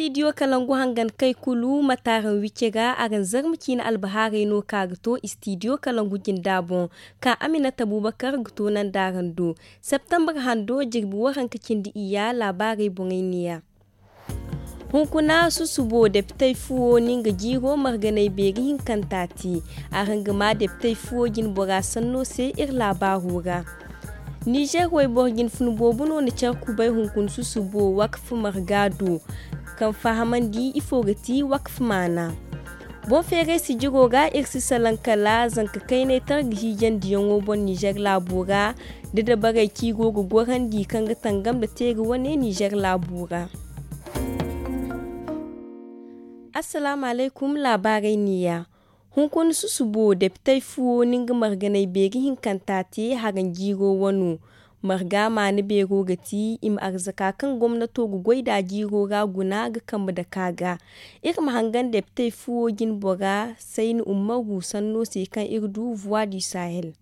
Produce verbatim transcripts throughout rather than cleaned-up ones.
Istidiyo kalangu hangan kay kulu ma taaraŋ wicce ga araŋ zarma ciine albahaarey no ka ga to istidiyo kalangu jinda boŋ, ka aminata bubakar ga to nanda araŋ do. Septembre hando jirbi waranka cindi iyya laabaarey boŋey neeya. Hunkuna susubo depitey fuwo na nga jiiro marganay beeri hinkanta te. Araŋ ga ma depitey fuwo jinbora sanno se iri laabaaro ra. Nizer wayboro jinfuna boobo no na care kubay hunkuna susubo wakf marga do, kaŋ fahamandi ifo ga ti wakf maana. Boŋ feeray sijiro ra iri si salaŋ kala zanka kaynay targa hiijandiyaŋo boŋ nizer laabo ra, da dabarey kaŋ i go ga gorandi kaŋ ga tangam nda teeri wane nizer laabo ra. Assalaamu alaykum. Laabaarey neeya. Hunkuna susubo depitey fuwo na nga marganay beeri hinkanta te haraŋ jiiro wano. Marga maana beero ga ti i ma arzaka kaŋ gomnato ga goy nd'a jiiro ra guna ga kambe dake a ga. Iri ma hangan depitey fuwo jinbora sayni ummaru sanno se kaŋ iri du voix du sahel.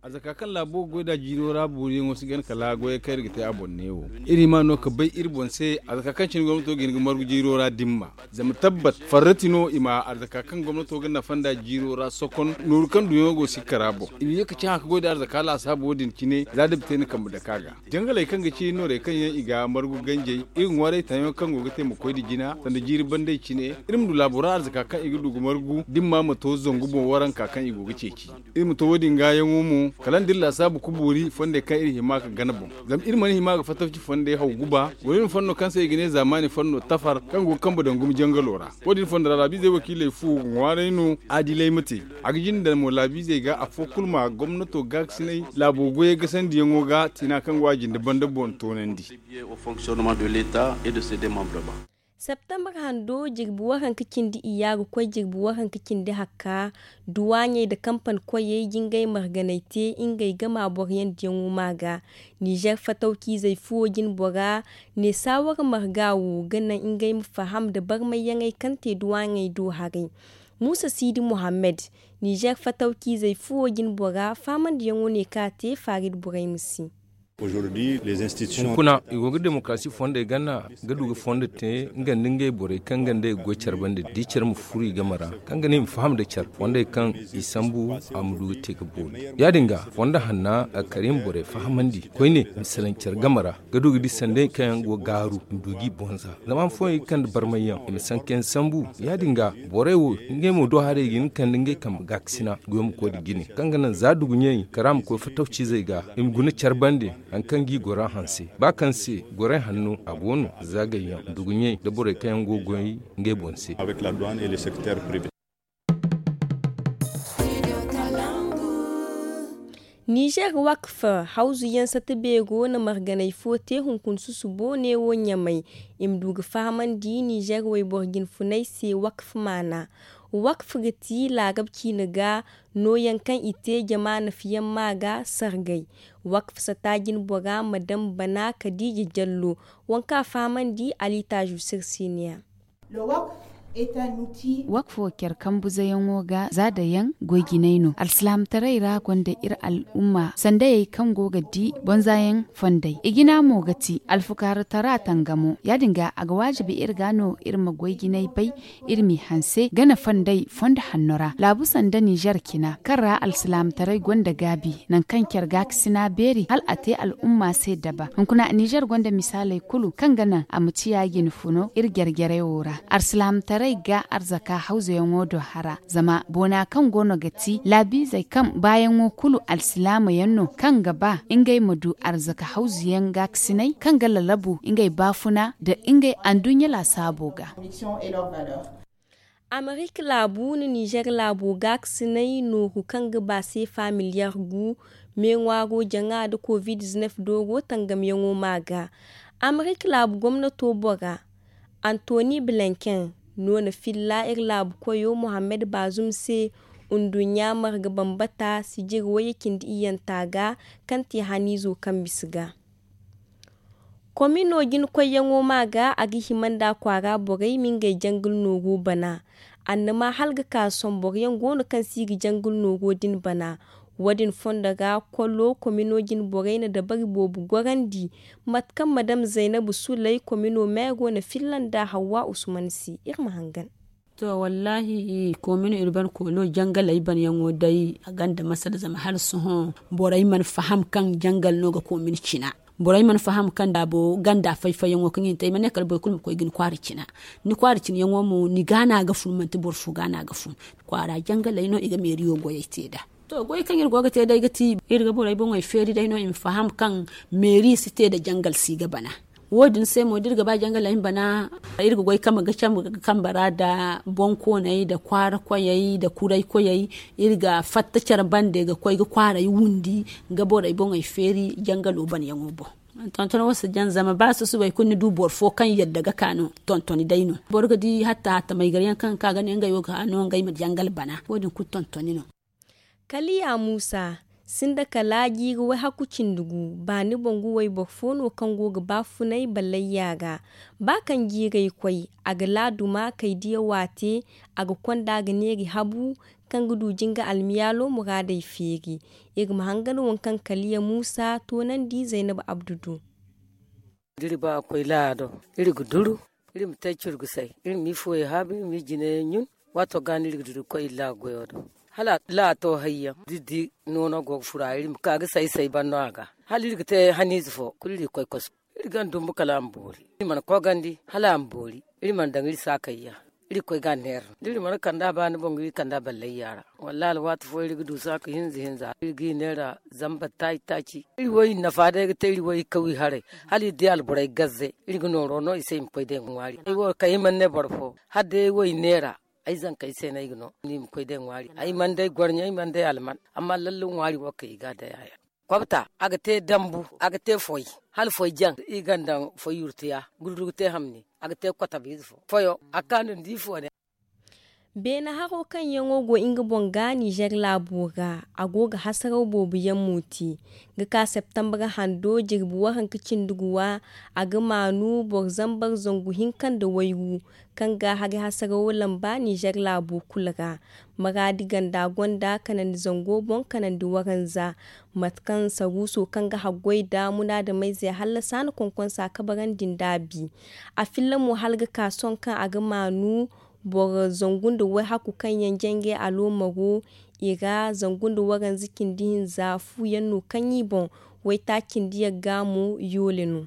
Arzaka kaŋ laabo ga goy nd'a jiiro ra booriyaŋo si gana kala goyey kaŋ iri ga te a boŋ neewo. Iri hima no ga bay iri boŋ se arzaka kaŋ cine gomnato ga hin ga margu jiiro ra dimma. Zama tabbat farrati no i ma arzaka kaŋ gomnato ga nafa nd'a jiiro ra sokon nooru kaŋ duɲɲo go si kara boŋ i ma ye ga cahã ga goy nd'a arzaka laasaabo din cine za depite na kambe dake a ga. Jangaley kaŋ ga ci noorey kaŋ yaŋ i ga margu ganjey, iri ŋwaaray tayaŋo kaŋ go ga te ma koy nda jina sanda jiiri bandey cine. Iri ma du laabo ra arzaka kaŋ i ga du ga margu dimma ma to zangu boŋ waranka kaŋ i go ga ceeci. Iri ma to wo- din gaayaŋo mo kala nda iri laasaabu ga boori fondey kaŋ iri hima ga gana boŋ. Zama iri mana hima ga fatafci fondey haw guba. Goro iri ma fondo kaŋ se i ga ne zaamaani fondo tafar kaŋ go ga kambe daŋ gumo jangalo ra. Wo- din fondo ra laabiizey wakiiley fu ga ŋwaaray no. Adilay ma te. A ga jinde daŋ mo laabiizey ga afo kulu ma gomnato gaakasinay laabo goyey gasandiyaŋo ga tiina kaŋ go a jinde banda boŋ toonandi. Septembre hando jirbi waranka cindi iyya ga koy jirbi waranka cindi hakka, duwaaɲey nda kampan koyey jingay marganay te ngey gama boroyandiyaŋo ma ga. Nizer fatawciizey fuwo jinbora ne saawara marga wo ga naŋ ngey ma faham nda barmayyaŋey kaŋ te duwaaɲey do haray. Muusa siidi muhammad, nizer fatawciizey fuwo jinbora faamandiyaŋo ne kaŋ a te faarid borey ma si. Hunkuna i go ga demokarasi fondey gana ga du ga fondo te nga nda ngey borey kaŋ ga nda i ga goy care bande da i care ma furo i game ra, kaŋ ga ne i ma faham nda care fondey kaŋ i sambu a ma du ga te ga boori. Ya- din ga fondo hanna a ga kar i ma borey fahamandi koyne i ma salaŋ care game ra, ga du ga di sanda yaŋ kaŋ yaŋ go ga gaaru i ma du ga i bonza. Zama han fooyaŋ i ga kande barmayyaŋ i ma sanka yaŋ sambu. Ya- din ga borey wo ngey mo do haray i ga hin ga kande ngey kambe gaakasina goyo ma koy nda jine kaŋ ga naŋ za duguɲey kara ma koy fatawciizey ga i ma guna care bande. Hari kaŋ ga i gora hanse ba kaŋ se goray hanno a go no, zaagayyaŋ, duguɲey nda borey kaŋ yaŋ go ga goy ngey boŋ se. Nizer wakfa hawzu yaŋ sata beero na marganay fo te hunkuna susubo neewo ɲamay. I ma du ga fahamandi nizer wayboro jinfunay se wakfa maana. Wakfa ga ti laarab ciine ga nooyaŋ kaŋ i te jama nafayaŋ ma ga sargay. Wakfa sata jinbora madam bana kadiija jallo, waŋ kaŋ a fahamandi ali taazu sirsiiniya. Wakfo care kambuzayaŋo ga za dayaŋ goy jinay no alsilaamataray ra gonda iri al'umma sandayey kaŋ go ga di bonzayaŋ fondey i jina mo ga ti alfukaaratara tangamo ya- din ga a ga waajibi iri ga no iri ma goy jinay bay. Iri m'i hanse gana fondey fondo hanno ra laabu sanda nizer cina kaŋ ra alsilaamataray gonda gaabi nangu kaŋ care gaakasina beeri hala a te al'umma se daba hunkuna nizer gonda misaaley kulu kaŋ ga naŋ a ma ciya jinfuno iri jare-jarey wo ra. Alsilaamataray ga arzaka hawzuyaŋo do hara zama boona kaŋ go no ga ti laabiizey kaŋ baayaŋo kulu alsilaamayaŋ no kaŋ ga ba ngey ma du arzaka hawzuyaŋ gaakasinay kaŋ ga lalabu ngey baafuna nda ngey anduɲɲa laasaabo ga. Amerik laabu nda nizer laabo gaakasinay nooru kaŋ ga ba seefa miliyar gu meeŋwaaro jaŋa nda covid dooro tangamyaŋo ma ga. Amerik laabu gomnato bora antoni blinken no na filla iri laabu koyo mohammed bazum se nduɲɲa marga bambata sijir wayye cindi iyyanta ga kaŋ te haniizo kaŋ bisa ga. Komino jina koyyaŋo ma ga a ga hima nda kwaara borey ma ngey jangil nooru bana. Annama hala ga ka sohõ boroyaŋ go no kaŋ si ga jangil nooro din bana. Wo- din fondo ga kollo komino jine borey na dabari boobo gorandi. Mate kaŋ madam zaynabu suley komino meero na filla nd'a hawwa usman se iri ma hangan. To wallaahi, koomini urban koolo jangaley banyaŋo day a gonda masala zama hala sohõ borey mana faham kaŋ jangal no ga koomini cina. Borey mana faham kaŋ daabo ganda fay-fayyaŋo kaŋ i na te ay mana ne kala boro kulu ma koy ga ni kwaara cina. Ni kwaara cinayaŋo mo ni ga no a ga fun manti boro fo ga no a ga fun. Kwaara jangaley no i ga meeriyo goyey te nd'a. To goy kaŋ iri go ga te day ga ti iri ga borey boŋey feeri day no i ma faham kaŋ meeri si te nda jangal si ga bana. Wo- din se mo da iri ga ba jangaley ma bana, iri ga goy kambe ga cambe ga kambe ra nda boŋkooney nda kwaara koyey nda kuray koyey. Iri ga fatta care bande ga koy ga kwaarey wundi ga borey boŋey feeri jangalo banayaŋo boŋ. Tonton wo si jaŋ zama ba susubay kulu ni du boro fo kaŋ yadda ga ka no tontoni day no. Boro ga di hatta hatta maygar yaŋ kaŋ ga ka ga ne ngey wo ga no ngey ma jangal bana wo- din kulu tontoni no. Kaliya muusa, sinda kala jiiri wayhaku cindi gu. Baani boŋ gu wayboro fo no kaŋ go ga ba funay ballayya ga. Ba kaŋ jiirey koy, a ga laaduma kay diya waate. A ga konda ga neeri habu kaŋ ga du jinga almiyaalo muraadey feeri. Iri ma hangan waŋ kaŋ kaliya muusa toonandi zaynab abdu do. Da iri ba ga koy laado, iri ga duru, iri ma te curgusay, iri ma i fuwey haabu, iri ma i jine ɲun. Waato ga no iri ga duru ga koy iri laaga goyo do. Hala laaga to hayyaŋ da iri di noono go ga fura, iri ma ka ga say-say ban no a ga. Hala iri ga te haniize fo kulu iri ga koy kosu. Iri ga dumbu kala a ma boori, iri mana kogandi hala a ma boori. Iri mana daŋ iri saakayya, iri ga koy ga a neera no da iri mana kand'a baani boŋ ga iri kand'a ballayya ra. Wallaahi alwaati fo iri ga du saaka hinza hinza iri ga i neera. Zamba taaci taaci iri wo i nafa day ga te iri wo i kaw i haray. Hala iri di alborey gazze iri ga nooro no i se i ma koy day ŋwaari. Ay wo kay ay mana ne boro fo hala day ay wo i neera. Ay zankey se no ay ga no ni ma koy day ŋwaari. Ay mana day gorɲa ay mana day alman. Amma lalle ŋwaari wo kay i ga a day a yaŋ. Kobta a ga te dambu, a ga te foy, hala foy jaŋ i ga a daŋ foy yurtiya. Gurdugu te hamni, a ga te kotobiize fo foyo a ga ka no ni di fo ne. Beene haro kaŋ yaŋo go nga boŋ ga nizer laabo ra, a go ga hasaraw boobo yaŋ mo te. Ga ka septembre hando jirbi waranka cindi guwa, a ga maanu boro zambar zangu hinka nda waygu, kaŋ ga hari hasarawo lamba nizer laabo kulu ra. Maraadi ganda gonda kanandi zango boŋ kanandi waranza. Mate kaŋ saruuso kaŋ ga haggoy nda munaadameyze hallasa na konkonsa kabarandi nd'a bi. A filla mo hala ga ka sohõ kaŋ a ga maanu boro zangu nda wayhaku kaŋ yaŋ jangay aloomaro i ra. Zangu nda waranza cindi hinza fu yaŋ no kaŋ i boŋ. Waytaaci cindi yagga mo yoole no.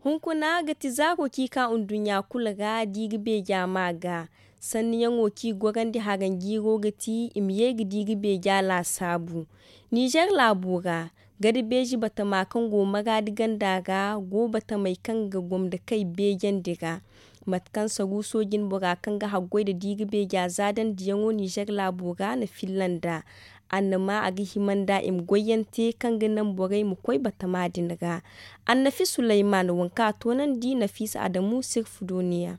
Hunkuna ga ti zaaro kaŋ i ka nduɲɲa kulu ra da i ga beeja ma ga. Sanniyaŋo kaŋ i gorandi haranjiiro ga ti i ma ye ga di ga beeja laasaabu. Nizer laabo ra, gada beeji batama kaŋ go maraadi ganda ra go batamey kaŋ ga gomda kay beejandi ra. Mate kaŋ saruuso jinbora kaŋ ga haggoy nda di ga beeja zaadandiyaŋo nizer laabo ra na filla nd'a. Annama a ga hima nd'a i ma goyyaŋ te kaŋ ga naŋ borey ma koy batama din ra. Annafi suleyman waŋ kaŋ a toonandi nafiisa adamu sirfu dooniya.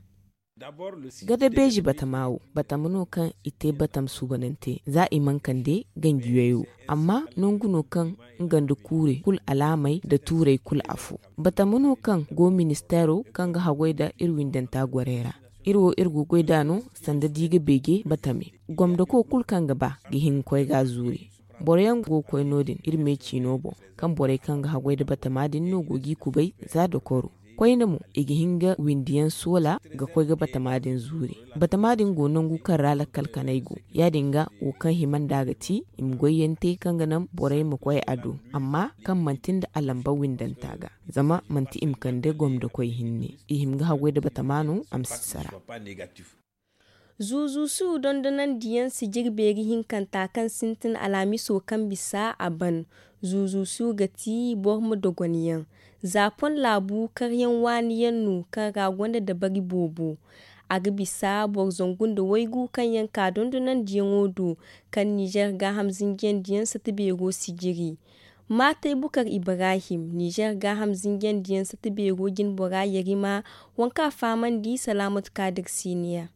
Gada beeji batama wo batama no kaŋ i te batam suubanante za i mana kande ganjiyoy wo. Amma nangu no kaŋ nga nda kuurey kulu alaamey nda tuurey kulu afo. Batama no kaŋ go ministeero kaŋ ga haggoy nda iri windanta gorey ra. Iri wo iri go ga goy nd'a no sanda di ga beeje batame. Gomdako kulu kaŋ ga ba ga hin ga koy ga a zuuri. Boro yaŋ go ga koy no- din iri me ciino boŋ, kaŋ borey kaŋ ga haggoy nda batama din no go g'i kubay za dokoro. Koyne mo i ga hin ga windiyaŋ soola ga koy ga batama din zuuri. Batama din go nangu kaŋ ra lakkal kanay go. Ya- din ga wo kaŋ hima nd'a ga ti i ma goyyaŋ te kaŋ ga naŋ borey ma koy a do, amma kaŋ manti nda a lamba windanta ga. Zama manti i ma kande gomda koy hinne. I hima ga haggoy nda batama no a ma si sara. Zuuzu suuru dondonandiyaŋ sijiri beeri hinkanta kaŋ sintin alhamiso kaŋ bisa a ban. Zuuzu suuru ga ti boro ma dogonyaŋ. Zaapon laabu karyaŋ waani yaŋ no kaŋ ra gonda dabari boobo. A ga bisa boro zangu nda waygu kaŋ yaŋ ka dondonandiyaŋo do kaŋ nizer gaaham zinjiyandiyaŋ sata beero sijiri. Maatay bukar ibrahim nizer gaaham zinjiyandiyaŋ sata beero jinbora yarima. Waŋ kaŋ a fahamandi salaamatu kaadir siiniya.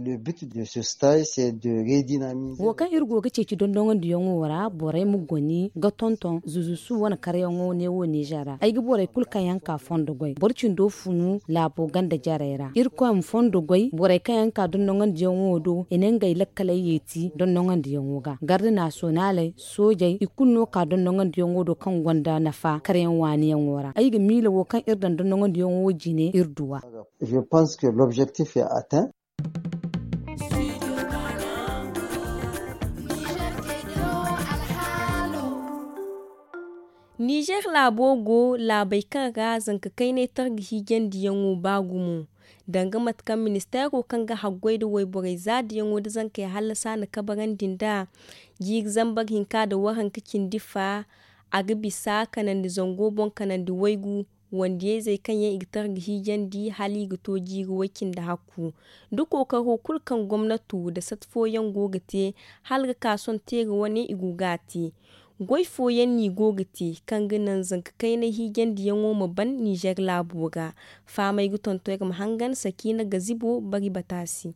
Le but de ce stage c'est de redynamiser. Wo kaŋ iri go ga ceeci dondonandiyaŋo ra borey ma goni ga tonton zuzusu wane karyaŋo neewo nizer ra ay ga borey kulu kaŋ yaŋ ka fondo goy boro cindo funu laabo ganda jarey ra irkoy ma fondo goy borey kaŋ yaŋ ka dondonandiyaŋo do i na ngey lakkaley yeeti dondonandiyaŋo ga garde nasiyonaley soojey i kulu no ka dondonandiyaŋo do kaŋ gonda nafa karyaŋ waaniyaŋo ra ay ga miila wo kaŋ iri daŋ dondonandiyaŋo jine iri duwa. Je pense que l'objectif est atteint. Nizer laabo go laabey kaŋ ra zanka kaynay targa hiijandiyaŋo ba gumo danga mate kaŋ ministeero kaŋ ga haggoy nda wayborey zaadiyaŋo nda zankey hallasa na kabarandi nd'a jiiri zambar hinka nda waranka cindi fa a ga bisa kanandi zango boŋ kanandi waygu wandiyayzey kaŋ yaŋ i ga targa hiijandi hala i ga to jiiri way-cindi hakku da kookaro kulu kaŋ gomnato nda sat fooyaŋ go ga te hala ga ka sohõ teera wane i go ga a te. Goy fooyaŋ no i go ga te kaŋ ga naŋ zanka kaynay hiijandiyaŋo ma ban nizer laabo ra. Faamay ga tonton iri ma hangan sakiina gazibo bari bata se.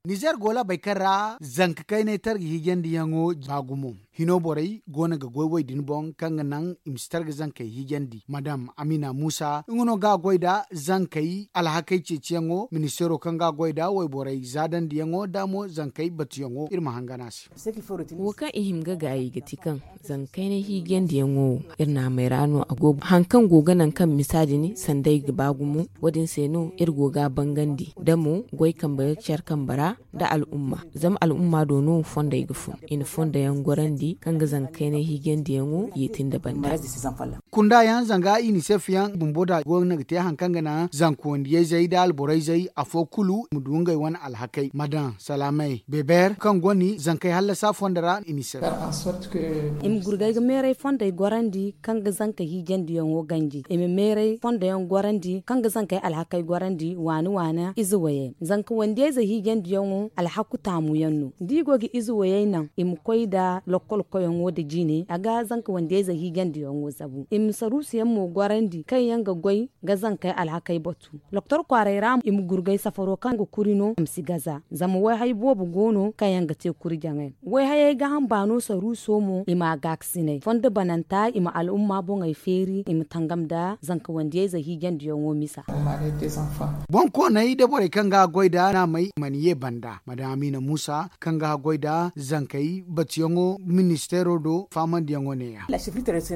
Nizer go laabey kaŋ ra zanka kaynay targa hiijandiyaŋo ba gumo hino borey go no ga goy wo- din boŋ kaŋ ga naŋ i ma si targa zankey hiijandi madam amina muusa nga no ga a goy nda zankey alhakey ceeciyaŋo ministeero kaŋ ga a goy nda wayborey zaadandiyaŋo nda mo zankey batuyaŋo iri ma hangan a se. Wo kaŋ i hima ga gaayi ga ti kaŋ zanka kaynay hiijandiyaŋo wo iri naamey ra no a go haŋ kaŋ go ga naŋ kaŋ misa din sanda i ga ba gumo wo- din se no iri go ga a bangandi da mo goy kambe care kambe ra nda al'umma zama al'umma do no fondey ga fun i na fondoyaŋ gorandi kaŋ ga zanka kaynay hiijandiyaŋo yeeti nda banda. Kunda yaŋ zanga i ni se fiyaŋ bumbo da go no ga te haŋ kaŋ ga naŋ zanka wandiyayzey nda alborayzey afo kulu ma du ngey wane alhakey ma daŋ salaamey beber kaŋ go ni zankey hallasa fondo ra i ni se. I ma gurgay ga meeray fondey gorandi kaŋ ga zanka hiijandiyaŋo ganji i ma meeray fondoyaŋ gorandi kaŋ ga zankey alhakey gorandi waani waani ize wayey zanka wandiyayze hiijandiyaŋo alhaku taamu yaŋ no da i go ga ize wayey naŋ i ma koy nda lokkol koyaŋo nda jine a ga zanka wandiyayze hiijandiyaŋo zabu i ma saruusu yaŋ mo gorandi kaŋ yaŋ ga goy ga zankey alhakey batu. Doktor kwaaray ra i ma gurgay safaro kaŋ ga kuri no a ma si gaza zama wayhay boobo go no kaŋ yaŋ ga te kuri jaŋay wayhayey ga hamba no saruuso mo i ma a gaakasinay fondo bananta i ma al'umma boŋey feeri i ma tangam nda zanka wandiyayze hiijandiyaŋo misa. Boŋ koonay da borey kaŋ ga a goy nda naamey mana ye banda madam amina muusa kaŋ ga a goy nda zankey batuyaŋo ministeero do faamandiyaŋo neeya.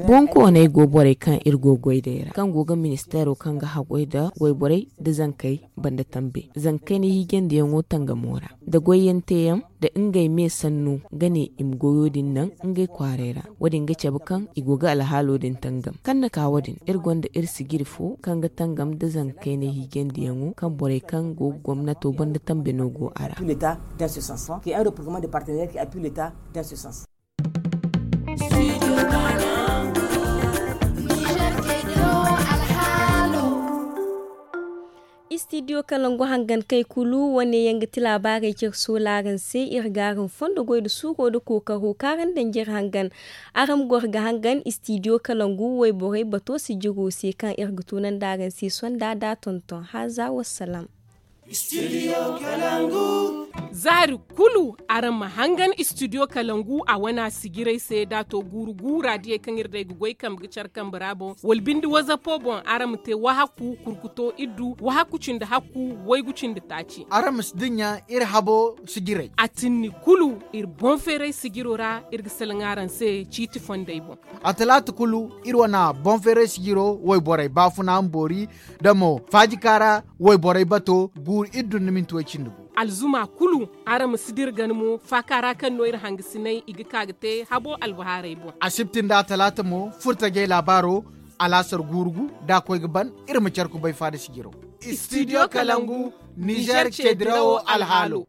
Boŋ koonay go borey kaŋ iri go goy day ra kaŋ go ga ministeero kaŋ ga haggoy nda wayborey nda zankey banda tambe zankey na hiijandiyaŋo tangamo ra nda goyyaŋ teeyaŋ nda ngey me sanno ga ne i ma goyo din naŋ ngey kwaaray ra wo- din ga cabe kaŋ i go ga alhaalo din tangam kaŋ na ka wo- din iri gonda iri sijiri fo kaŋ ga tangam nda zankey na hiijandiyaŋo kaŋ borey kaŋ go ga gomnato banda tambe no go a ra. Istidiyo kalangu hangan kay kulu wane yaŋ ga ti laabaarey care soolaaraŋ se iri ga araŋ fondo goy nda suuro nda kookaro kaŋ araŋ danjir hangan. Araŋ ma goro ga hangan istidiyo kalangu wayborey bato sijiro se kaŋ iri ga tunandi araŋ se sonda da tonton haza wassalam. Zaari kulu araŋ ma hangan istidiyo kalangu a wana sijirey se da to guuru guura diyey kaŋ iri day ga goy kambe ga care kambe ra boŋ wala binde wazapo boŋ araŋ ma te wahakku kurkuto iddu wahakku cindi hakku waygu cindi taaci. Araŋ ma si dinya iri habo sijirey a tinni kulu iri boŋ feeray sijiro ra iri ga salaŋ araŋ se ciiti fondey boŋ. A talaata kulu iri wana boŋ feeray sijiro wayborey baafuna ma boori da mo faajika ra wayborey bato guuru iri dun na minti way cindi gu. Alzuma kulu araŋ ma si dira gana mo faaka ra kaŋ no iri hangasinay i ga ka ga te habo albahaarey boŋ. Asibti nda talaata mo furtajey laabaaro alaasar guuru gu da a koy ga ban iri ma care kubay faada sijiro. Istidiyo kalangu nizer ce dirawo alhaalo.